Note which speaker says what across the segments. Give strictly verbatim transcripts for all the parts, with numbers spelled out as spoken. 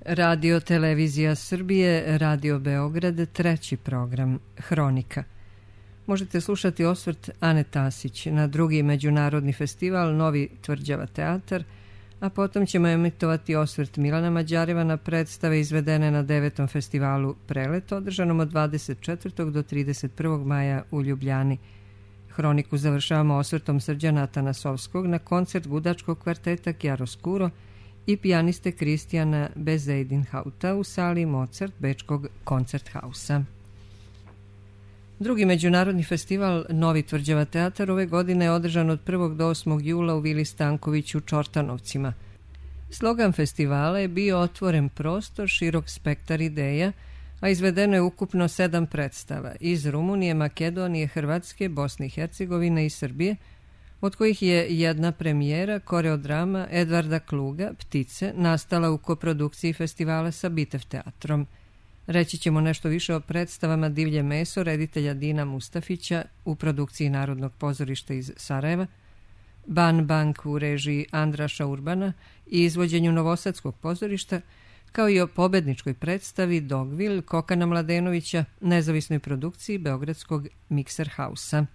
Speaker 1: Radio Televizija Srbije, Radio Beograd, treći program, Hronika. Možete slušati osvrt Ane Tasić na drugi međunarodni festival Novi Tvrđava teatar, a potom ćemo emitovati osvrt Milana Mađareva na predstave izvedene na devetom festivalu Prelet, održanom od dvadeset četvrtog do trideset prvog maja u Ljubljani. Hroniku završavamo osvrtom Srđana Atanasovskog na koncert gudačkog kvarteta Chiaroscuro i pijaniste Kristijana Bezuidenhouta u sali Mozart Bečkog koncerthausa. Drugi međunarodni festival Novi Tvrđava teatar ove godine je održan od prvog do osmog jula u Vili Stanković u Čortanovcima. Slogan festivala je bio otvoren prostor, širok spektar ideja, a izvedeno je ukupno sedam predstava iz Rumunije, Makedonije, Hrvatske, Bosne i Hercegovine i Srbije, od kojih je jedna premijera, koreodrama Edvarda Kluga, Ptice, nastala u koprodukciji festivala sa Bitev teatrom. Reći ćemo nešto više o predstavama Divlje meso reditelja Dina Mustafića u produkciji Narodnog pozorišta iz Sarajeva, Ban Bank u režiji Andraša Urbana i izvođenju Novosadskog pozorišta, kao i o pobedničkoj predstavi Dogville Kokana Mladenovića, nezavisnoj produkciji Beogradskog Mikser Hausa.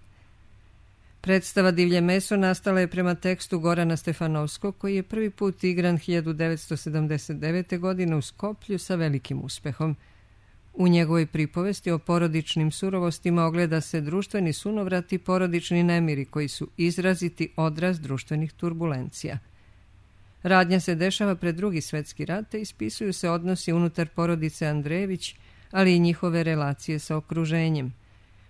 Speaker 1: Predstava Divlje meso nastala je prema tekstu Gorana Stefanovskog, koji je prvi put igran hiljadu devetsto sedamdeset devete. godine u Skoplju sa velikim uspehom. U njegovoj pripovesti o porodičnim surovostima ogleda se društveni sunovrat i porodični nemiri koji su izraziti odraz društvenih turbulencija. Radnja se dešava pred Drugi svetski rat i ispisuju se odnosi unutar porodice Andrejević, ali i njihove relacije sa okruženjem.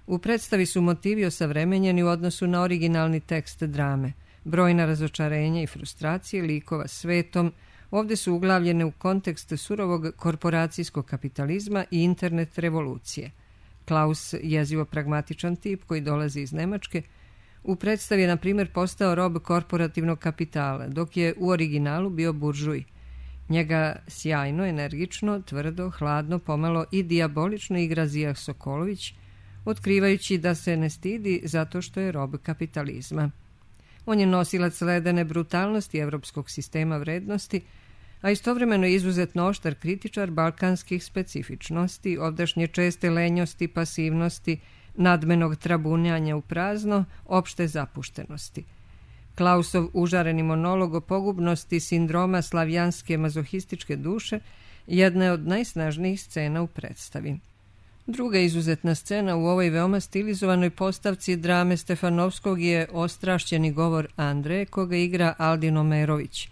Speaker 1: U predstavi su motivi osavremenjeni u odnosu na originalni tekst drame. Brojna razočarenja i frustracije likova svetom ovdje su uglavljene u kontekst surovog korporacijskog kapitalizma i internet revolucije. Klaus, jezivo pragmatičan tip koji dolazi iz Nemačke, u predstavi je na primjer postao rob korporativnog kapitala, dok je u originalu bio buržuj. Njega sjajno, energično, tvrdo, hladno, pomalo i dijabolično igra Zijah Sokolović, otkrivajući da se ne stidi zato što je rob kapitalizma. On je nosilac ledene brutalnosti evropskog sistema vrednosti, a istovremeno je izuzetno oštar kritičar balkanskih specifičnosti, ovdašnje česte lenjosti, pasivnosti, nadmenog trabunjanja u prazno, opšte zapuštenosti. Klausov užareni monolog o pogubnosti sindroma slavijanske mazohističke duše jedna je od najsnažnijih scena u predstavi. Druga izuzetna scena u ovoj veoma stilizovanoj postavci drame Stefanovskog je ostrašćeni govor Andreje, koga igra Aldin Omerović.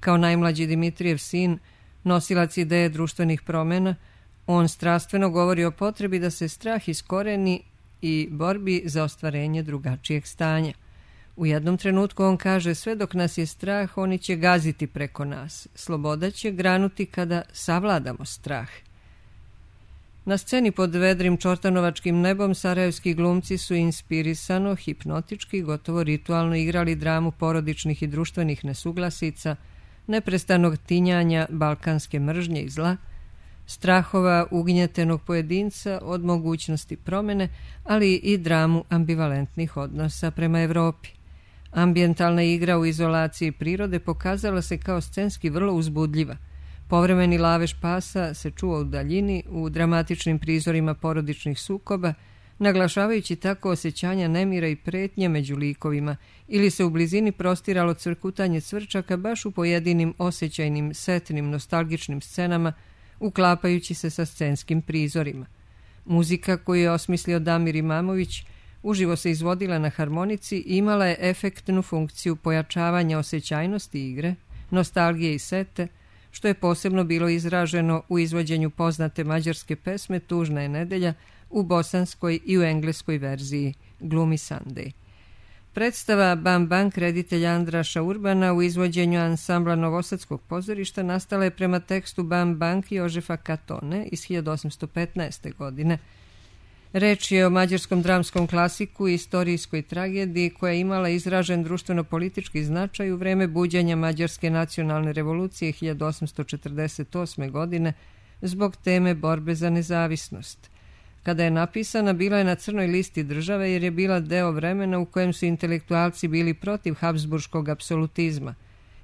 Speaker 1: Kao najmlađi Dimitrijev sin, nosilac ideje društvenih promjena, on strastveno govori o potrebi da se strah iskoreni i borbi za ostvarenje drugačijeg stanja. U jednom trenutku on kaže: sve dok nas je strah, oni će gaziti preko nas. Sloboda će granuti kada savladamo strah. Na sceni pod vedrim čortanovačkim nebom sarajevski glumci su inspirisano, hipnotički, gotovo ritualno igrali dramu porodičnih i društvenih nesuglasica, neprestanog tinjanja balkanske mržnje i zla, strahova ugnjetenog pojedinca od mogućnosti promjene, ali i dramu ambivalentnih odnosa prema Evropi. Ambijentalna igra u izolaciji prirode pokazala se kao scenski vrlo uzbudljiva. Povremeni lavež pasa se čuo u daljini u dramatičnim prizorima porodičnih sukoba, naglašavajući tako osjećanja nemira i pretnje među likovima, ili se u blizini prostiralo cvrkutanje cvrčaka baš u pojedinim osjećajnim, setnim, nostalgičnim scenama, uklapajući se sa scenskim prizorima. Muzika koju je osmislio Damir Imamović uživo se izvodila na harmonici i imala je efektnu funkciju pojačavanja osjećajnosti igre, nostalgije i sete, što je posebno bilo izraženo u izvođenju poznate mađarske pesme Tužna je nedelja u bosanskoj i u engleskoj verziji Gloomy Sunday. Predstava Ban Bank reditelja Andraša Urbana u izvođenju ansambla Novosadskog pozorišta nastala je prema tekstu Ban Bank Jožefa Katone iz hiljadu osamsto petnaeste. godine. Reč je o mađarskom dramskom klasiku i istorijskoj tragediji koja je imala izražen društveno-politički značaj u vreme buđenja Mađarske nacionalne revolucije hiljadu osamsto četrdeset osme. godine zbog teme borbe za nezavisnost. Kada je napisana, bila je na crnoj listi države jer je bila deo vremena u kojem su intelektualci bili protiv habsburškog apsolutizma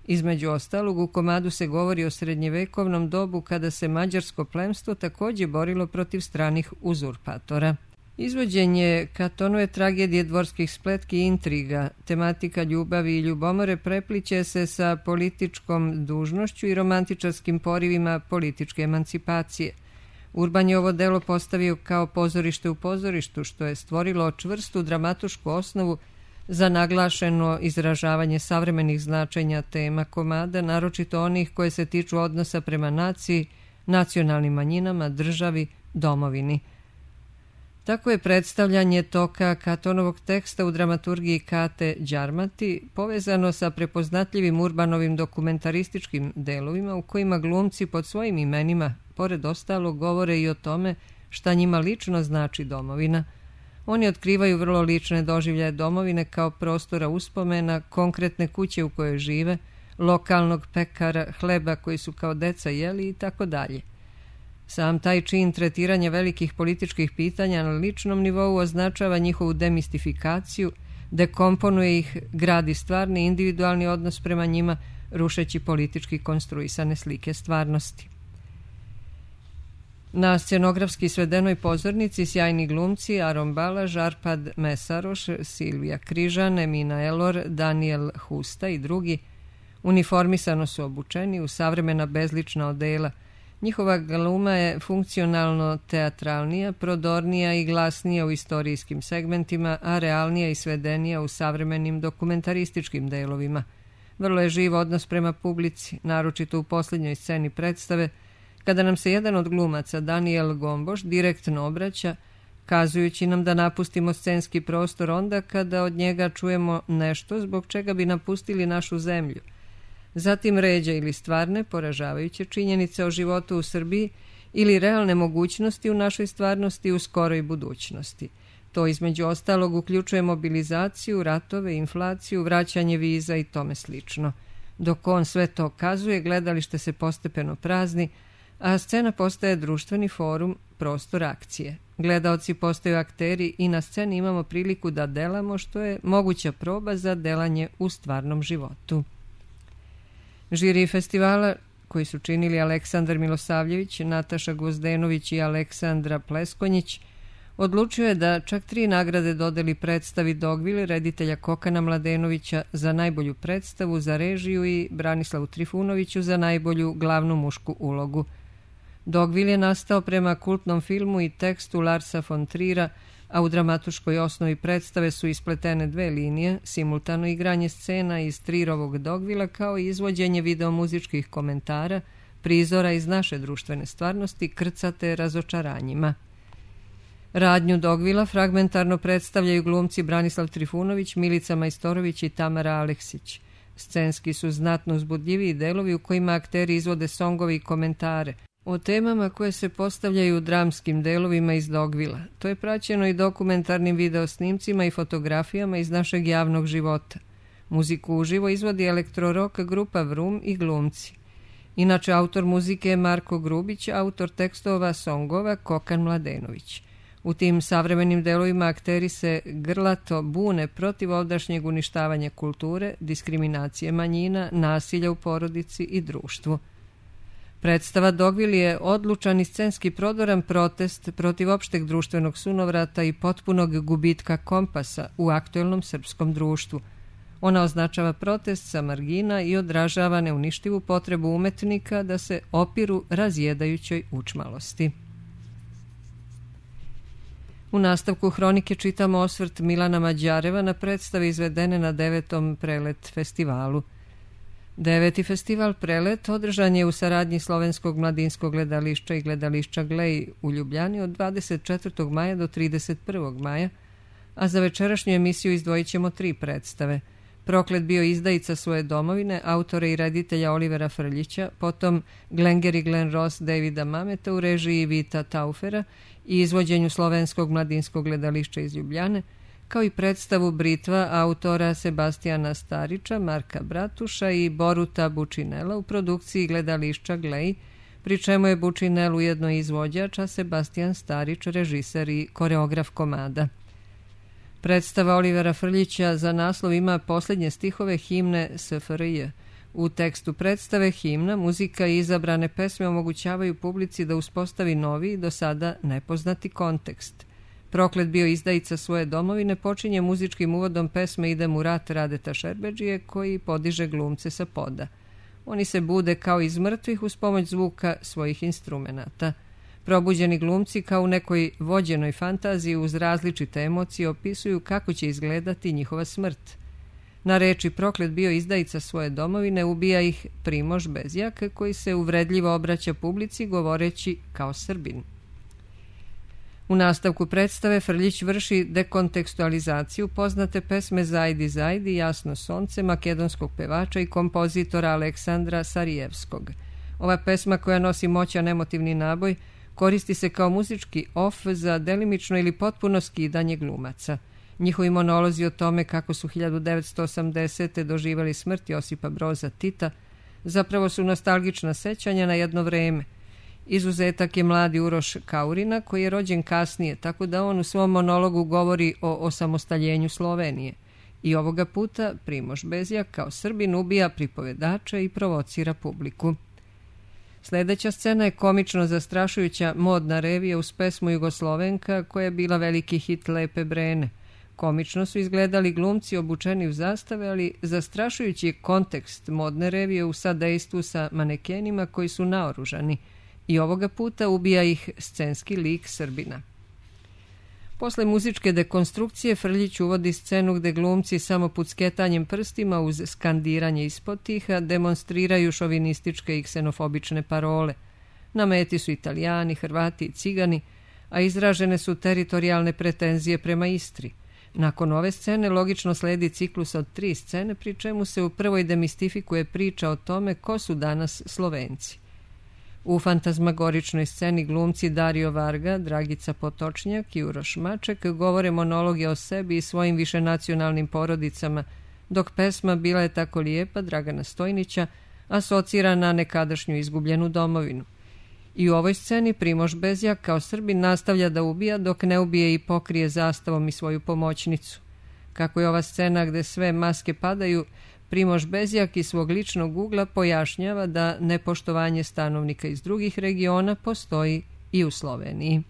Speaker 1: Između ostalog, u komadu se govori o srednjevekovnom dobu kada se mađarsko plemstvo također borilo protiv stranih uzurpatora. Izvođenje Katonove tragedije dvorskih spletki i intriga, tematika ljubavi i ljubomore prepliće se sa političkom dužnošću i romantičarskim porivima političke emancipacije. Urban je ovo delo postavio kao pozorište u pozorištu, što je stvorilo čvrstu dramatušku osnovu za naglašeno izražavanje savremenih značenja tema komada, naročito onih koje se tiču odnosa prema naciji, nacionalnim manjinama, državi, domovini. Tako je predstavljanje toka Katonovog teksta u dramaturgiji Kate Đarmati povezano sa prepoznatljivim Urbanovim dokumentarističkim delovima u kojima glumci pod svojim imenima, pored ostalog, govore i o tome šta njima lično znači domovina. Oni otkrivaju vrlo lične doživljaje domovine kao prostora uspomena, konkretne kuće u kojoj žive, lokalnog pekara, hleba koji su kao deca jeli i tako dalje. Sam taj čin tretiranja velikih političkih pitanja na ličnom nivou označava njihovu demistifikaciju, dekomponuje ih, gradi stvarni individualni odnos prema njima, rušeći politički konstruisane slike stvarnosti. Na scenografski svedenoj pozornici sjajni glumci Aron Balaž, Arpad Mesaroš, Silvija Križan, Emina Elor, Daniel Husta i drugi uniformisano su obučeni u savremena bezlična odela. Njihova gluma je funkcionalno teatralnija, prodornija i glasnija u istorijskim segmentima, a realnija i svedenija u savremenim dokumentarističkim delovima. Vrlo je živ odnos prema publici, naročito u posljednjoj sceni predstave, kada nam se jedan od glumaca, Daniel Gomboš, direktno obraća, kazujući nam da napustimo scenski prostor onda kada od njega čujemo nešto zbog čega bi napustili našu zemlju. Zatim ređa ili stvarne, poražavajuće činjenice o životu u Srbiji ili realne mogućnosti u našoj stvarnosti u skoroj budućnosti. To između ostalog uključuje mobilizaciju, ratove, inflaciju, vraćanje viza i tome slično. Dok on sve to kazuje, gledalište se postepeno prazni, a scena postaje društveni forum, prostor akcije. Gledaoci postaju akteri i na sceni imamo priliku da delamo, što je moguća proba za delanje u stvarnom životu. Žiri festivala, koji su činili Aleksandar Milosavljević, Nataša Gvozdenović i Aleksandra Pleskonjić, odlučio je da čak tri nagrade dodeli predstavi Dogville reditelja Kokana Mladenovića za najbolju predstavu za režiju i Branislavu Trifunoviću za najbolju glavnu mušku ulogu. Dogville je nastao prema kultnom filmu i tekstu Larsa von Trira, a u dramatuškoj osnovi predstave su ispletene dve linije, simultano igranje scena iz Trirovog Dogvila kao i izvođenje videomuzičkih komentara, prizora iz naše društvene stvarnosti, krcate razočaranjima. Radnju Dogvila fragmentarno predstavljaju glumci Branislav Trifunović, Milica Majstorović i Tamara Aleksić. Scenski su znatno uzbudljiviji delovi u kojima akteri izvode songove i komentare o temama koje se postavljaju u dramskim delovima iz Dogvila. To je praćeno i dokumentarnim videosnimcima i fotografijama iz našeg javnog života. Muziku uživo izvodi elektrorock grupa Vrum i glumci. Inače, autor muzike je Marko Grubić, autor tekstova songova Kokan Mladenović. U tim savremenim delovima akteri se grlato bune protiv ovdašnjeg uništavanja kulture, diskriminacije manjina, nasilja u porodici i društvu. Predstava Dogville je odlučan i scenski prodoran protest protiv opšteg društvenog sunovrata i potpunog gubitka kompasa u aktuelnom srpskom društvu. Ona označava protest sa margina i odražava neuništivu potrebu umetnika da se opiru razjedajućoj učmalosti. U nastavku hronike čitamo osvrt Milana Mađareva na predstave izvedene na devetom Prelet festivalu. Deveti festival Prelet održan je u saradnji Slovenskog mladinskog gledališća i gledališća Glej u Ljubljani od dvadeset četvrtog maja do trideset prvog maja, a za večerašnju emisiju izdvojit ćemo tri predstave. Proklet bio izdajica svoje domovine, autora i reditelja Olivera Frljića, potom Glenger i Glen Ross Davida Mameta u režiji Vita Taufera i izvođenju Slovenskog mladinskog gledališća iz Ljubljane, kao i predstavu Britva autora Sebastijana Starića, Marka Bratuša i Boruta Bučinela u produkciji gledališća Glej, pri čemu je Bučinel ujedno izvođač, a Sebastijan Starić režiser i koreograf komada. Predstava Olivera Frljića za naslov ima posljednje stihove himne S F R J. U tekstu predstave, himna, muzika i izabrane pesme omogućavaju publici da uspostavi novi, do sada nepoznati kontekst. Proklet bio izdajica svoje domovine počinje muzičkim uvodom pesme Idem u rat Radeta Šerbedžije, koji podiže glumce sa poda. Oni se bude kao iz mrtvih uz pomoć zvuka svojih instrumenata. Probuđeni glumci kao u nekoj vođenoj fantaziji uz različite emocije opisuju kako će izgledati njihova smrt. Na reči Proklet bio izdajica svoje domovine ubija ih Primož Bezjak, koji se uvredljivo obraća publici govoreći kao Srbin. U nastavku predstave Frljić vrši dekontekstualizaciju poznate pesme Zajdi Zajdi, Jasno sonce, makedonskog pevača i kompozitora Aleksandra Sarijevskog. Ova pesma, koja nosi moćan emotivni naboj, koristi se kao muzički of za delimično ili potpuno skidanje glumaca. Njihovi monolozi o tome kako su hiljadu devetsto osamdesete doživjeli smrt Josipa Broza Tita zapravo su nostalgična sećanja na jedno vreme. Izuzetak je mladi Uroš Kaurina, koji je rođen kasnije, tako da on u svom monologu govori o osamostaljenju Slovenije. I ovoga puta Primož Bezjak kao Srbin ubija pripovedača i provocira publiku. Sljedeća scena je komično zastrašujuća modna revija uz pesmu Jugoslovenka, koja je bila veliki hit Lepe Brene. Komično su izgledali glumci obučeni u zastave, ali zastrašujući je kontekst modne revije u sadejstvu sa manekenima koji su naoružani. I ovoga puta ubija ih scenski lik Srbina. Posle muzičke dekonstrukcije Frljić uvodi scenu gde glumci samo pucketanjem prstima uz skandiranje ispod tiha demonstriraju šovinističke i ksenofobične parole. Na meti su Italijani, Hrvati i Cigani, a izražene su teritorijalne pretenzije prema Istri. Nakon ove scene logično sledi ciklus od tri scene, pri čemu se u prvoj demistifikuje priča o tome ko su danas Slovenci. U fantazmagoričnoj sceni glumci Dario Varga, Dragica Potočnjak i Uroš Maček govore monologe o sebi i svojim višenacionalnim porodicama, dok pesma Bila je tako lijepa Dragana Stojnića asocira na nekadašnju izgubljenu domovinu. I u ovoj sceni Primož Bezjak kao Srbin nastavlja da ubija dok ne ubije i pokrije zastavom i svoju pomoćnicu. Kako je ova scena gde sve maske padaju, Primož Bezjak iz svog ličnog ugla pojašnjava da nepoštovanje stanovnika iz drugih regiona postoji i u Sloveniji.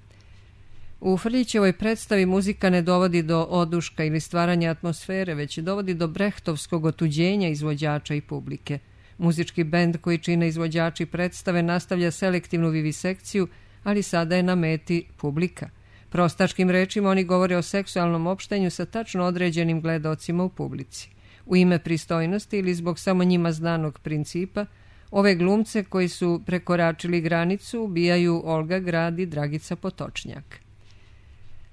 Speaker 1: U Frljićevoj predstavi muzika ne dovodi do oduška ili stvaranja atmosfere, već dovodi do brehtovskog otuđenja izvođača i publike. Muzički bend koji čine izvođači predstave nastavlja selektivnu vivisekciju, ali sada je na meti publika. Prostačkim rečima oni govore o seksualnom opštenju sa tačno određenim gledaocima u publici. U ime pristojnosti ili zbog samo njima znanog principa, ove glumce koji su prekoračili granicu ubijaju Olga Grad i Dragica Potočnjak.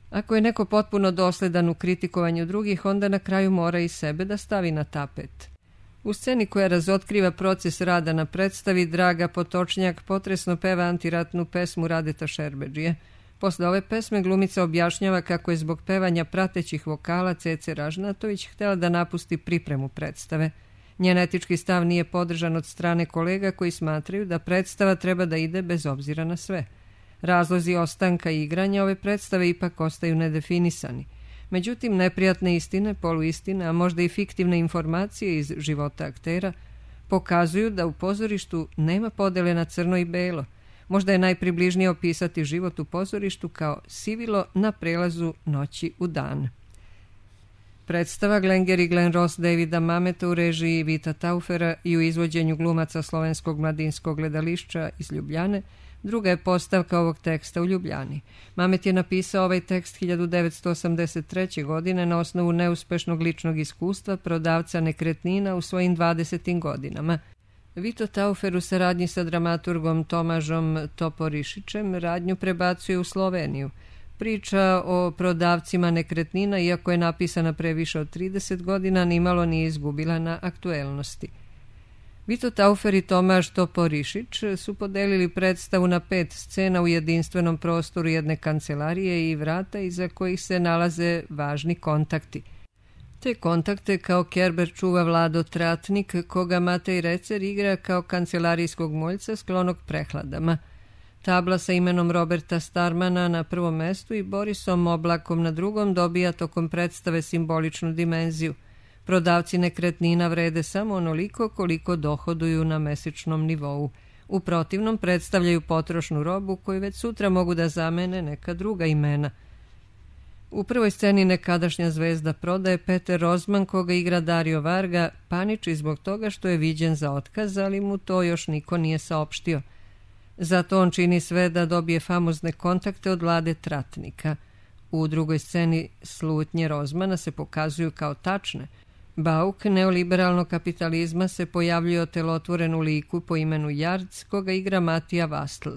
Speaker 1: Ako je neko potpuno dosledan u kritikovanju drugih, onda na kraju mora i sebe da stavi na tapet. U sceni koja razotkriva proces rada na predstavi, Draga Potočnjak potresno peva antiratnu pesmu Radeta Šerbedžije. Posle ove pesme glumica objašnjava kako je zbog pevanja pratećih vokala Cece Ražnatović htjela da napusti pripremu predstave. Njen etički stav nije podržan od strane kolega koji smatraju da predstava treba da ide bez obzira na sve. Razlozi ostanka i igranja ove predstave ipak ostaju nedefinisani. Međutim, neprijatne istine, poluistine, a možda i fiktivne informacije iz života aktera pokazuju da u pozorištu nema podele na crno i belo. Možda je najpribližnije opisati život u pozorištu kao sivilo na prelazu noći u dan. Predstava Glenger i Glen Ross Davida Mameta u režiji Vita Taufera i u izvođenju glumaca Slovenskog mladinskog gledališća iz Ljubljane druga je postavka ovog teksta u Ljubljani. Mamet je napisao ovaj tekst hiljadu devetsto osamdeset treće. godine na osnovu neuspešnog ličnog iskustva prodavca nekretnina u svojim dvadesetim godinama. Vito Taufer u saradnji sa dramaturgom Tomažom Toporišićem radnju prebacuje u Sloveniju. Priča o prodavcima nekretnina, iako je napisana pre više od trideset godina, nimalo nije izgubila na aktuelnosti. Vito Taufer i Tomaž Toporišić su podelili predstavu na pet scena u jedinstvenom prostoru jedne kancelarije i vrata iza kojih se nalaze važni kontakti. Te kontakte kao Kerber čuva Vlado Tratnik, koga Matej Recer igra kao kancelarijskog moljca sklonog prehladama. Tabla sa imenom Roberta Starmana na prvom mestu i Borisom Oblakom na drugom dobija tokom predstave simboličnu dimenziju. Prodavci nekretnina vrede samo onoliko koliko dohoduju na mesečnom nivou. U protivnom predstavljaju potrošnu robu koju već sutra mogu da zamene neka druga imena. U prvoj sceni nekadašnja zvezda prodaje Peter Rozman, koga igra Dario Varga, paniči zbog toga što je viđen za otkaz, ali mu to još niko nije saopštio. Zato on čini sve da dobije famozne kontakte od Vlade Tratnika. U drugoj sceni slutnje Rozmana se pokazuju kao tačne. Bauk neoliberalnog kapitalizma se pojavljuje otelotvoren u liku po imenu Jarc, koga igra Matija Vastl.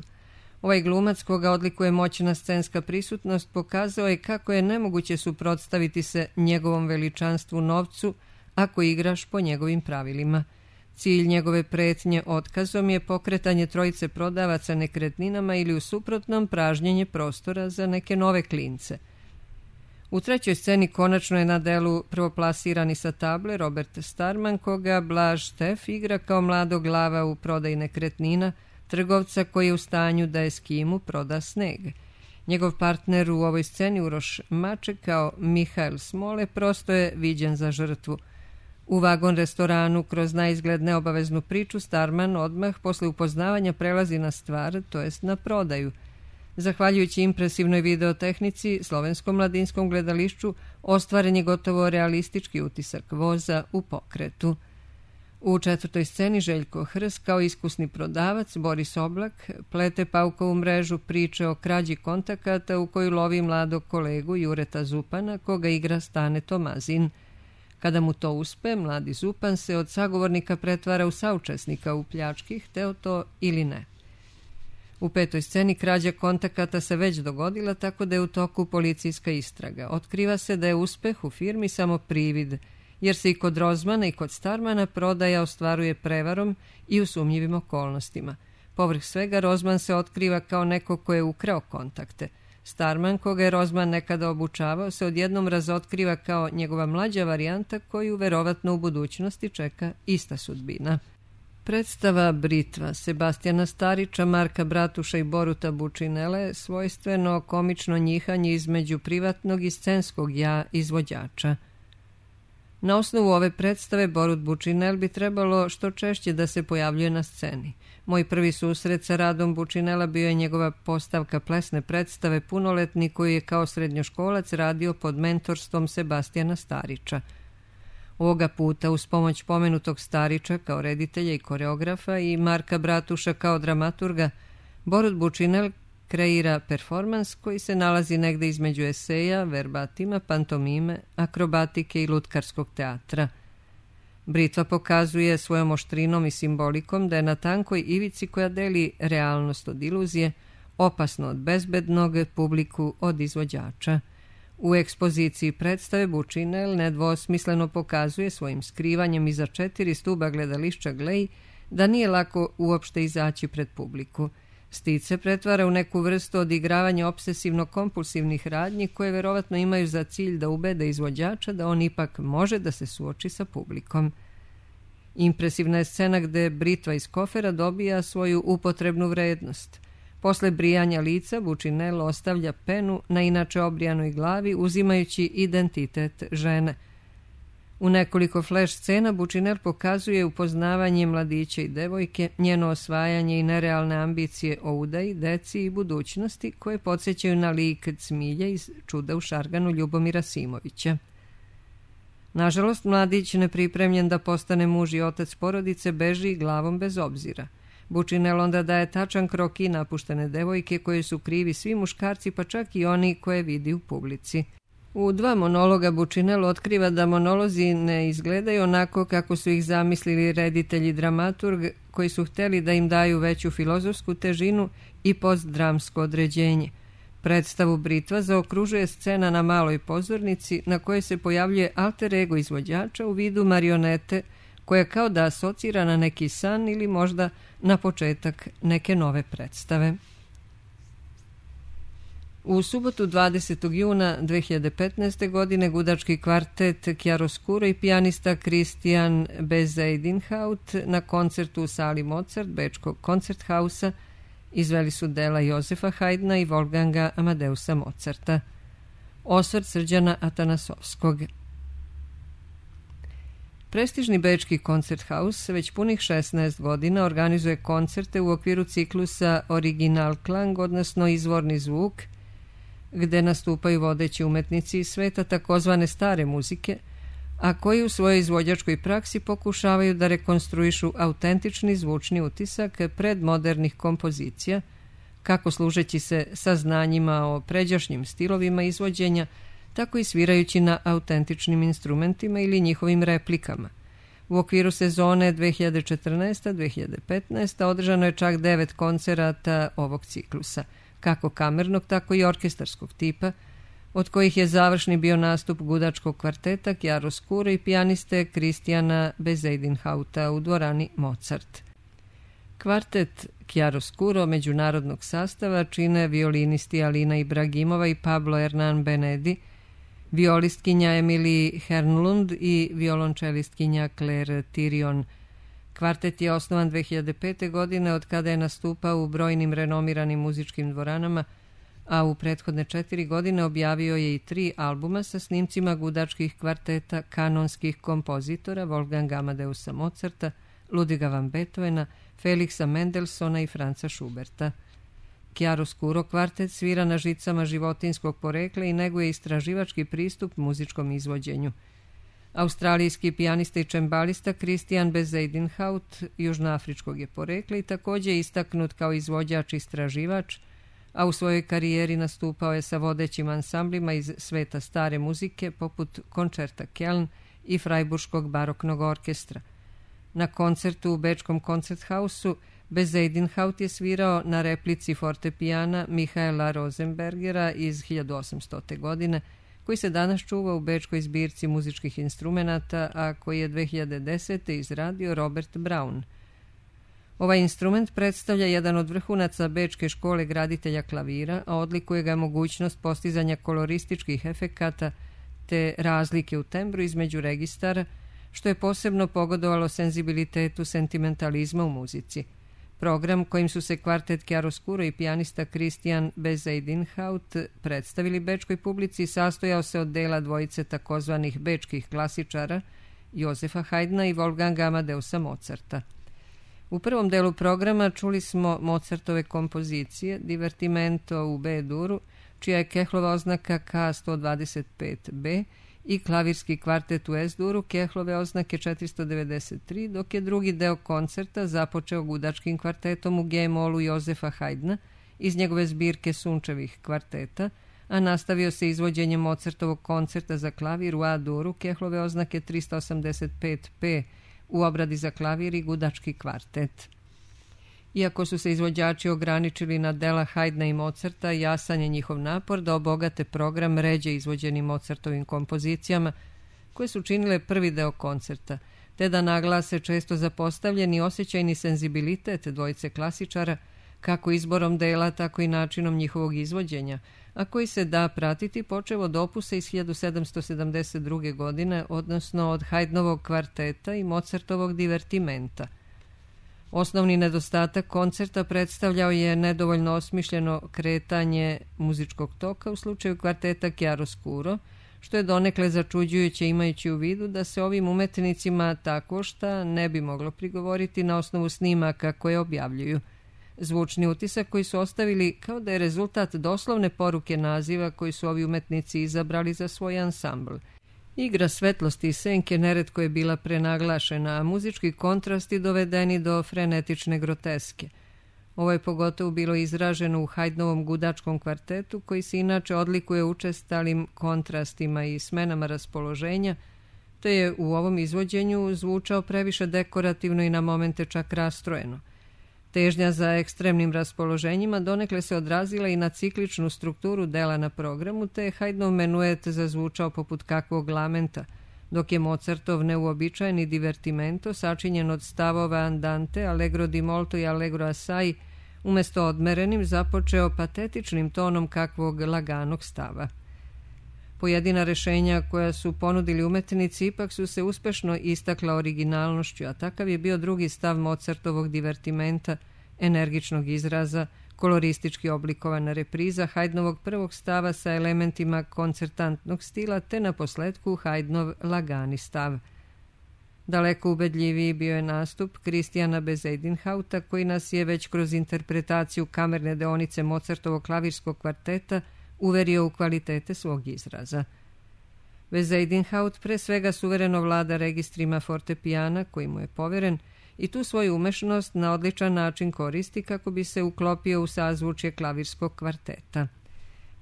Speaker 1: Ovaj glumac, koga odlikuje moćna scenska prisutnost, pokazao je kako je nemoguće suprotstaviti se njegovom veličanstvu novcu ako igraš po njegovim pravilima. Cilj njegove pretnje otkazom je pokretanje trojice prodavaca nekretninama ili u suprotnom pražnjenje prostora za neke nove klince. U trećoj sceni konačno je na delu prvoplasirani sa table Robert Starman, koga Blaž Štef igra kao mladog glava u prodaji nekretnina, trgovca koji je u stanju da Eskimu proda sneg. Njegov partner u ovoj sceni Uroš Maček kao Mihael Smole prosto je viđen za žrtvu. U vagon restoranu kroz naizgled neobaveznu priču Starman odmah posle upoznavanja prelazi na stvar, to jest na prodaju. Zahvaljujući impresivnoj videotehnici, slovenskom mladinskom gledališću ostvaren je gotovo realistički utisak voza u pokretu. U četvrtoj sceni Željko Hrs kao iskusni prodavac Boris Oblak plete paukovu mrežu priče o krađi kontakata u koju lovi mladog kolegu Jureta Zupana, koga igra Stane Tomazin. Kada mu to uspe, mladi Zupan se od sagovornika pretvara u saučesnika u pljački, hteo to ili ne. U petoj sceni krađa kontakata se već dogodila, tako da je u toku policijska istraga. Otkriva se da je uspeh u firmi samo privid, jer se i kod Rozmana i kod Starmana prodaja ostvaruje prevarom i u sumnjivim okolnostima. Povrh svega, Rozman se otkriva kao neko ko je ukrao kontakte. Starman, koga je Rozman nekada obučavao, se odjednom razotkriva kao njegova mlađa varijanta koju verovatno u budućnosti čeka ista sudbina. Predstava Britva Sebastijana Starića, Marka Bratuša i Boruta Bučinele svojstveno komično njihanje između privatnog i scenskog ja izvođača. Na osnovu ove predstave Borut Bučinel bi trebalo što češće da se pojavljuje na sceni. Moj prvi susret sa radom Bučinela bio je njegova postavka plesne predstave Punoletni, koju je kao srednjoškolac radio pod mentorstvom Sebastijana Starića. Ovoga puta uz pomoć pomenutog Starića kao reditelja i koreografa i Marka Bratuša kao dramaturga, Borut Bučinel kreira performans koji se nalazi negde između eseja, verbatima, pantomime, akrobatike i lutkarskog teatra. Britva pokazuje svojom oštrinom i simbolikom da je na tankoj ivici koja deli realnost od iluzije, opasno od bezbednog, publiku od izvođača. U ekspoziciji predstave Bučinel nedvosmisleno pokazuje svojim skrivanjem iza četiri stuba gledališća Glej da nije lako uopšte izaći pred publiku. Stit se pretvara u neku vrstu odigravanja obsesivno-kompulsivnih radnji koje verovatno imaju za cilj da ubede izvođača da on ipak može da se suoči sa publikom. Impresivna je scena gde Britva iz kofera dobija svoju upotrebnu vrednost. Posle brijanja lica Bučinel ostavlja penu na inače obrijanoj glavi uzimajući identitet žene. U nekoliko flash scena Bučinel pokazuje upoznavanje mladića i devojke, njeno osvajanje i nerealne ambicije o udaji, deci i budućnosti koje podsjećaju na lik Cmilje iz Čuda u šarganu Ljubomira Simovića. Nažalost, mladić nepripremljen da postane muž i otac porodice beži glavom bez obzira. Bučinel onda daje tačan kroki napuštene devojke koje su krivi svi muškarci, pa čak i oni koje vidi u publici. U dva monologa Bučinel otkriva da monolozi ne izgledaju onako kako su ih zamislili reditelj i dramaturg koji su hteli da im daju veću filozofsku težinu i postdramsko određenje. Predstavu Britva zaokružuje scena na maloj pozornici na kojoj se pojavljuje alter ego izvođača u vidu marionete koja kao da asocira na neki san ili možda na početak neke nove predstave. U subotu dvadesetog juna dve hiljade petnaeste. godine gudački kvartet Chiaroscuro i pijanista Christian Bezuidenhout na koncertu u sali Mozart Bečkog koncerthausa izveli su dela Jozefa Haydna i Wolfganga Amadeusa Mozarta. Osvrt Srđana Atanasovskog. Prestižni bečki Koncerthaus već punih šesnaest godina organizuje koncerte u okviru ciklusa Original Klang, odnosno izvorni zvuk, gde nastupaju vodeći umetnici iz sveta takozvane stare muzike, a koji u svojoj izvođačkoj praksi pokušavaju da rekonstruišu autentični zvučni utisak predmodernih kompozicija, kako služeći se saznanjima o pređašnjim stilovima izvođenja, tako i svirajući na autentičnim instrumentima ili njihovim replikama. U okviru sezone dve hiljade četrnaeste dve hiljade petnaeste. održano je čak devet koncerata ovog ciklusa, kako kamernog, tako i orkestarskog tipa, od kojih je završni bio nastup gudačkog kvarteta Chiaroscuro i pijaniste Kristijana Bezuidenhouta u dvorani Mozart. Kvartet Chiaroscuro međunarodnog sastava čine violinisti Alina Ibragimova i Pablo Hernan Benedi, violistkinja Emily Hernlund i violončelistkinja Claire Tirion. Kvartet je osnovan dve hiljade pete. godine od kada je nastupao u brojnim renomiranim muzičkim dvoranama, a u prethodne četiri godine objavio je i tri albuma sa snimcima gudačkih kvarteta kanonskih kompozitora Wolfganga Amadeusa Mozarta, Ludwiga van Beethovena, Felixa Mendelssohna i Franza Schuberta. Chiaroscuro kvartet svira na žicama životinskog porekla i neguje istraživački pristup muzičkom izvođenju. Australijski pijanista i čembalista Christian Bezuidenhout južnoafričkog je porekla i također istaknut kao izvođač i istraživač, a u svojoj karijeri nastupao je sa vodećim ansamblima iz sveta stare muzike poput Koncerta Keln i Freiburškog baroknog orkestra. Na koncertu u bečkom Koncerthausu Bezuidenhout je svirao na replici fortepijana Michaela Rosenbergera iz hiljadu osamstote. godine, koji se danas čuva u bečkoj zbirci muzičkih instrumenata, a koji je dve hiljade desete. izradio Robert Brown. Ovaj instrument predstavlja jedan od vrhunaca bečke škole graditelja klavira, a odlikuje ga mogućnost postizanja kolorističkih efekata te razlike u tembru između registara, što je posebno pogodovalo senzibilitetu sentimentalizma u muzici. Program kojim su se kvartet Chiaroscuro i pijanista Christian Bezuidenhout predstavili bečkoj publici sastojao se od dela dvojice takozvanih bečkih klasičara Josefa Haydna i Wolfganga Amadeusa Mozarta. U prvom delu programa čuli smo Mozartove kompozicije Divertimento u B-duru, čija je Kehlova oznaka K sto dvadeset pet B, i klavirski kvartet u S-duru Kehlove oznake četiristo devedeset tri, dok je drugi deo koncerta započeo gudačkim kvartetom u G-molu Josefa Haydna iz njegove zbirke sunčevih kvarteta, a nastavio se izvođenjem Mozartovog koncerta za klavir u A-duru Kehlove oznake tristo osamdeset pet P u obradi za klavir i gudački kvartet. Iako su se izvođači ograničili na dela Haydna i Mozarta, jasan je njihov napor da obogate program ređe izvođenim Mozartovim kompozicijama, koje su činile prvi deo koncerta, te da naglase često zapostavljeni osjećajni senzibilitet dvojice klasičara, kako izborom dela, tako i načinom njihovog izvođenja, a koji se da pratiti počev od opusa iz hiljadu sedamsto sedamdeset druge. godine, odnosno od Haydnovog kvarteta i Mozartovog divertimenta. Osnovni nedostatak koncerta predstavljao je nedovoljno osmišljeno kretanje muzičkog toka u slučaju kvarteta Chiaroscuro, što je donekle začuđujuće imajući u vidu da se ovim umetnicima tako šta ne bi moglo prigovoriti na osnovu snimaka koje objavljuju. Zvučni utisak koji su ostavili kao da je rezultat doslovne poruke naziva koji su ovi umetnici izabrali za svoj ansambl. Igra svetlosti i senke neretko je bila prenaglašena, a muzički kontrasti dovedeni do frenetične groteske. Ovo je pogotovo bilo izraženo u Haydnovom gudačkom kvartetu, koji se inače odlikuje učestalim kontrastima i smenama raspoloženja, te je u ovom izvođenju zvučao previše dekorativno i na momente čak rastrojeno. Težnja za ekstremnim raspoloženjima donekle se odrazila i na cikličnu strukturu dela na programu, te je Haydnov menuet zazvučao poput kakvog lamenta, dok je Mozartov neuobičajeni divertimento, sačinjen od stavova andante, allegro di molto i allegro assai, umesto odmerenim započeo patetičnim tonom kakvog laganog stava. Pojedina rešenja koja su ponudili umetnici ipak su se uspešno istakla originalnošću, a takav je bio drugi stav Mozartovog divertimenta, energičnog izraza, koloristički oblikovana repriza Haydnovog prvog stava sa elementima koncertantnog stila, te na posledku Haydnov lagani stav. Daleko ubedljiviji bio je nastup Kristijana Bezuidenhouta, koji nas je već kroz interpretaciju kamerne deonice Mozartovog klavirskog kvarteta uverio u kvalitete svog izraza. Bezuidenhout pre svega suvereno vlada registrima fortepijana koji mu je poveren i tu svoju umešnost na odličan način koristi kako bi se uklopio u sazvučje klavirskog kvarteta.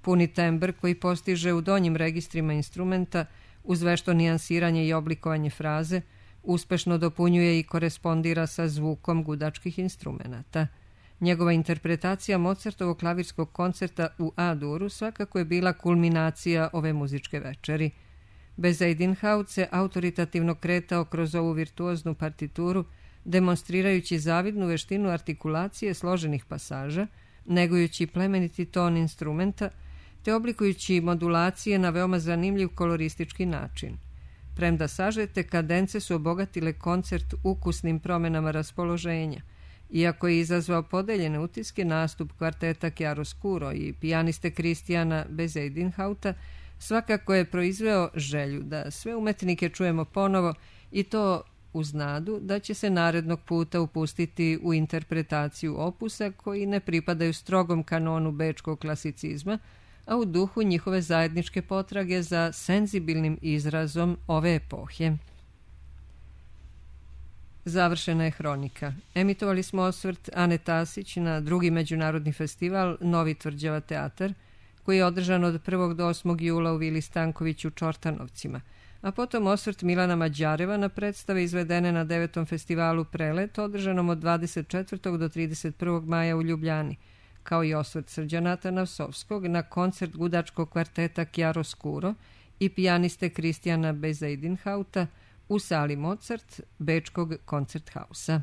Speaker 1: Puni tembr koji postiže u donjim registrima instrumenta uz vešto nijansiranje i oblikovanje fraze uspešno dopunjuje i korespondira sa zvukom gudačkih instrumenata. Njegova interpretacija Mozartovog klavirskog koncerta u A-duru svakako je bila kulminacija ove muzičke večeri. Bezuidenhout se autoritativno kretao kroz ovu virtuoznu partituru, demonstrirajući zavidnu veštinu artikulacije složenih pasaža, negujući plemeniti ton instrumenta, te oblikujući modulacije na veoma zanimljiv koloristički način. Premda sažete, kadence su obogatile koncert ukusnim promenama raspoloženja. Iako je izazvao podeljene utiske, nastup kvarteta Chiaroscuro i pijaniste Kristijana Bezuidenhouta svakako je proizveo želju da sve umetnike čujemo ponovo i to uz nadu da će se narednog puta upustiti u interpretaciju opusa koji ne pripadaju strogom kanonu bečkog klasicizma, a u duhu njihove zajedničke potrage za senzibilnim izrazom ove epohe. Završena je hronika. Emitovali smo osvrt Ane Tasić na drugi međunarodni festival Novi Tvrđava teatar, koji je održan od prvog do osmog jula u Vili Stanković u Čortanovcima, a potom osvrt Milana Mađareva na predstave izvedene na devetom festivalu Prelet, održanom od dvadeset četvrtog do trideset prvog maja u Ljubljani, kao i osvrt Srđana Atanasovskog na koncert gudačkog kvarteta Chiaroscuro i pijaniste Kristijana Bezuidenhouta u sali Mozart Bečkog koncerthausa.